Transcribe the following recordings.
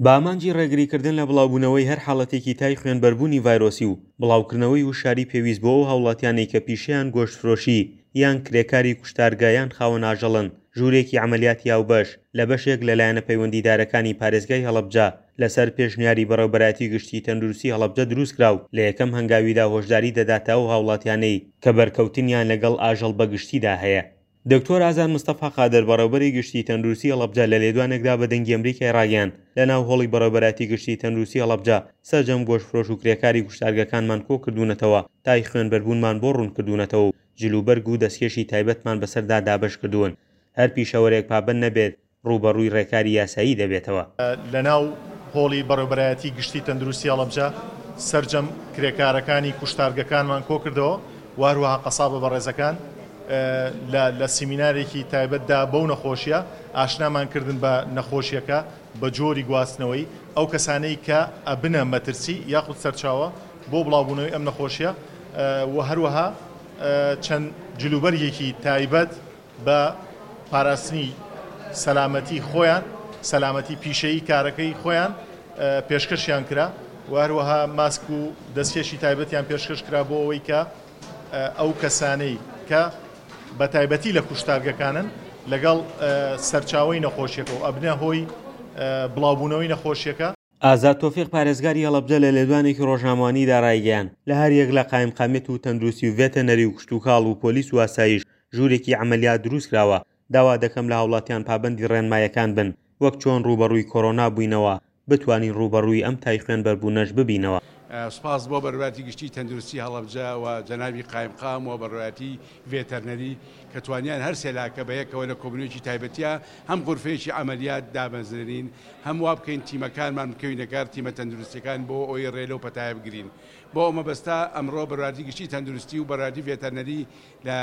بە ئامانجی ڕێگریکردن لە بڵاوبوونەوەی هەر حاڵەتێکی تای خوێنبەربوونی ڤایرۆسی و بڵاوکردنەوەی وشیاری پێویست بۆ ئەو هاوڵاتیانەی کە پیشەیان گۆشتفرۆشی یان کرێکاری کوشتارگە یان خاوەن ئاژەڵن ژوورێکی عەمەلیاتی هاوبەش لە بەشێک لە لایەنە پەیوەندیدارەکانی پارێزگای هەڵەبجە لەسەر پێشنیاری بەڕێوبەرایەتی گشتی تەندروستی هەڵەبجە دروستکرا و لە یەکەم هەنگاویدا هۆشداری دەداتە ئەو هاوڵاتیانەی کە بەرکەوتنیان لەگەڵ ئاژەڵ بەگشتیدا هەیە. دکتۆر ئازاد مستەفا قادر بەڕێوبەری گشتی تەندروستی هەڵەبجە لە لێدوانێکدا بە دەنگی ئەمریکای ڕاگەیاند لەناو هۆڵی بەڕێوبەرایەتی گشتی تەندروستی هەڵەبجە سەرجەم گۆشتفرۆش و کرێکاری کوشتارگەکانمان کۆکردوونەتەوە تای خوێنبەربوونمان بۆ ڕوونکردوونەتەوە و جلوبەرگ و دەستکێشی تایبەتمان بەسەردا دابەشکردوون هەر پیشەوەرێک پابەند نەبێت ڕووبەڕووی ڕێکاری یاسایی دەبێتەوە. لەناو هۆڵی بەڕێوبەرایەتی گشتی تەندروستی هەڵەبجە سەرجەم کرێکارەکانی کوشتارگەکانمان کۆکردەوە و هەروەها قەسابە بەڕێزەکان لە لە سیمینارێکی تایبەتدا بەو نەخۆشیە ئاشنامان کردن بە نەخۆشیەکە بە جۆری گواستنەوەی ئەو کەسانەی کە ئەبنە مەترسی یاخود سەرچاوە بۆ بڵاوبوونەوەی ئەم نەخۆشیە و هەروەها چەند جلوبەرگێکی تایبەت بە پاراستنی سەلامەتی خۆیان، سەلامەتی پیشەیی کارەکەی خۆیان پێشکەشیان کرا و هەروەها ماسک و دەستکێشی تایبەتیان پێشکەش کرا بۆ ئەوەی کە ئەو کەسانەی کە بە تایبەتی لە کوشتارگەکانن لەگەڵ سەرچاوەی نەخۆشیەکە و ئەبنە هۆی بڵاوبوونەوەی نەخۆشیەکە. ئازاد تۆفیق پارێزگاری هەڵەبجە لە لێدوانێکی ڕۆژنامەوانیدا ڕایگەیاند، لە هەریەک لە قایمقامیەت و تەندروستی و ڤێتەنەری و کشتوکاڵ و پۆلیس و ئاسایش ژوورێکی عەمەلیات دروستکراوە، داوا دەکەم لە هاوڵاتیان پابەندی ڕێنمایەکان بن، وەک چۆن ڕووبەڕووی کۆرۆنا بووینەوە، بتوانین ڕووبەڕووی ئەم تای خوێنبەربوونەش ببینەوە. سوپاس بۆ بەڕێوەبەرایەتی گشتی تەندروستی هەڵەبجە و جەنابی قایمقام و بەڕێوەبەرایەتی ڤێتەرنەری کە توانیان هەر سێ لاکە بە یەکەوە لە کۆبوونەوەیەکی تایبەتیا هەم غورفەیەکی عەمەلیات دابەزرێنین هەم وا بکەین تیمەکانمان بکەوینە کار تیمە تەندروستیەکان بۆ ئەوەی ڕێ لەو پەتایە بگرین بۆ ئەو مەبەستە ئەمڕۆ بەڕێوەبەرایەتی گشتی تەندروستی و بەڕێوەبەرایەتی ڤێتەرنەری لە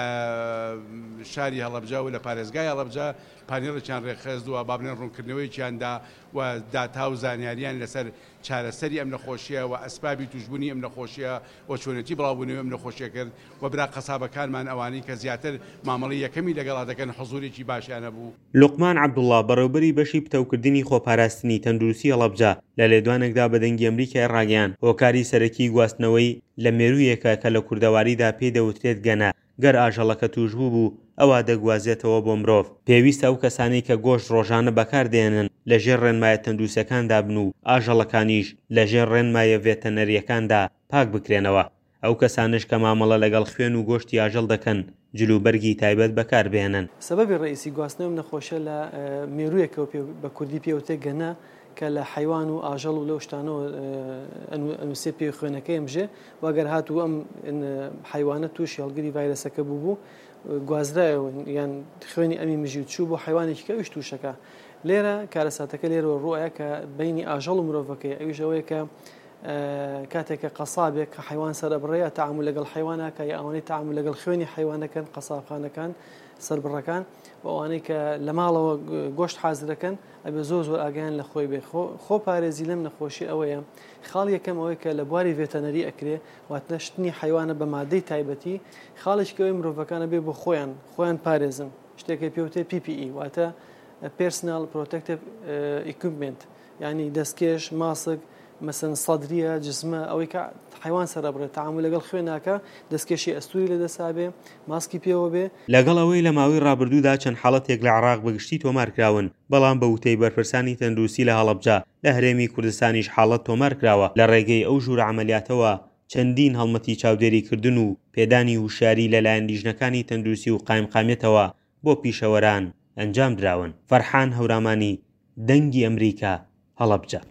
شاری هەڵەبجە و لە پارێزگای هەڵەبجە پانێڵێکیان ڕێکخست و با بڵێن ڕوونکردنەوەیەکیان دا و داتا و زانیاریان لەسەر چارەسەری ئەم نەخۆشییە و ئەسبابی تووشبوونی ئەم نەخۆشییە و چۆنێتی بڵاوبوونەوەی ئەم نەخۆشییە کرد و برا قەسابەکانمان ئەوانەی کە زیاتر مامەڵەی یەکەمی لەگەڵا دەکەن حزوورێکی باشیان هەبوو. لوقمان عەبدوڵا، بەڕێوبەری بەشی پتەوکردنی خۆپاراستنی تەندروستی هەڵەبجە، لە لێدوانێکدا بە دەنگی ئەمریکای ڕاگەیاند، هۆکاری سەرەکی گواستنەوەی لە مێروویەکە کە لە کوردەواریدا پێی دەوترێت گەنە، گەر ئاژەڵەکە تووشبوو بوو ئەوا دەگوازێتەوە بۆ مرۆڤ. پێویستە ئەو کەسانەی کە گۆشت ڕۆژانە بەکاردەهێنن لە ژێر ڕێنمایە تەندروستیەکاندا بن و ئاژەڵەکانیش لە ژێر ڕێنمایە ڤێتەنەریەکاندا پاک بکرێنەوە. ئەو کەسانەش کە مامەڵە لەگەڵ خوێن و گۆشتی ئاژەڵ دەکەن جلوبەرگی تایبەت بەکاربهێنن. سەبەبی ڕەئیسی گواستنەوەی ئەم نەخۆشیە لە مێروویەکەوە پێ بە کوردی پێ وترێ گەنە کە لە حەیوان و ئاژەڵ و لەو شتانەوە ئەنووسێ پێ خوێنەکەی ئەمژێ و ئەگەر هاتوو ئەم حەیوانە تووشی هەڵگری ڤایرەسەکە بوو بوو گوازرایەوە یان خوێنی ئەمی مژی و چوو بۆ حەیوانێکی کە ئەویش تووشەکە لێرە کارەساتەکە لێرەوە ڕووە کە بینی ئاژەڵ و مرۆڤەکەی ئەویش ئەوەیە کە کاتێک کە قەسابێک کە حەیوان سەرئەبڕێ یا تەعامول لەگەڵ حەیوان ئەکا یا ئەوانەی تەعامول لەگەڵ خوێنی حەیوان ئەکەن قەسابخانەکان سەربڕەکان و ئەوانەی کە لە ماڵەوە گۆشت حازرەکەن ئەبێ زۆر زۆر ئاگایان لە خۆی بێ خۆ پارێزی لەم نەخۆشی ئەوەیە خاڵ یەکەم ئەوەی کە لە بواری ڤێتەنەری ئەکرێ واتە شتنی حەیوانە بە مادەی تایبەتی خاڵێکی ئەوەی مرۆڤەکانە بێ بۆ خۆیان خۆیان پارێزن شتێکە پێوتێ PPE واتە Personal Protective Equipment یانی دەستکێش، ماسک، مەسەن سەدریە، جزمە، ئەوەی کە حەیوان سەرئەبڕێ، تەعامول لەگەڵ خوێن ناکا، دەستکێشی ئەستووری لە دەسا بێ، ماسکی پێوە بێ. لەگەڵ ئەوەی لە ماوەی ڕابردوودا چەند حاڵەتێک لە عێراق بە گشتی تۆمارکراون، بەڵام بە وتەی بەرپرسانی تەندروستی لە هەڵەبجە، لە هەرێمی کوردستانیش حاڵەت تۆمارکراوە، لە ڕێگەی ئەو ژوورە عەمەلیاتەوە چەندین هەڵمەتی چاودێریکردن و پێدانی وشیاری لەلایەن لیژنەکانی تەندروستی و قایمقامیەتەوە بۆ پیشەوەران ئەنجامدراون. فەرحان هەورامانی، دەنگی ئەمریکا، هەڵەبجە.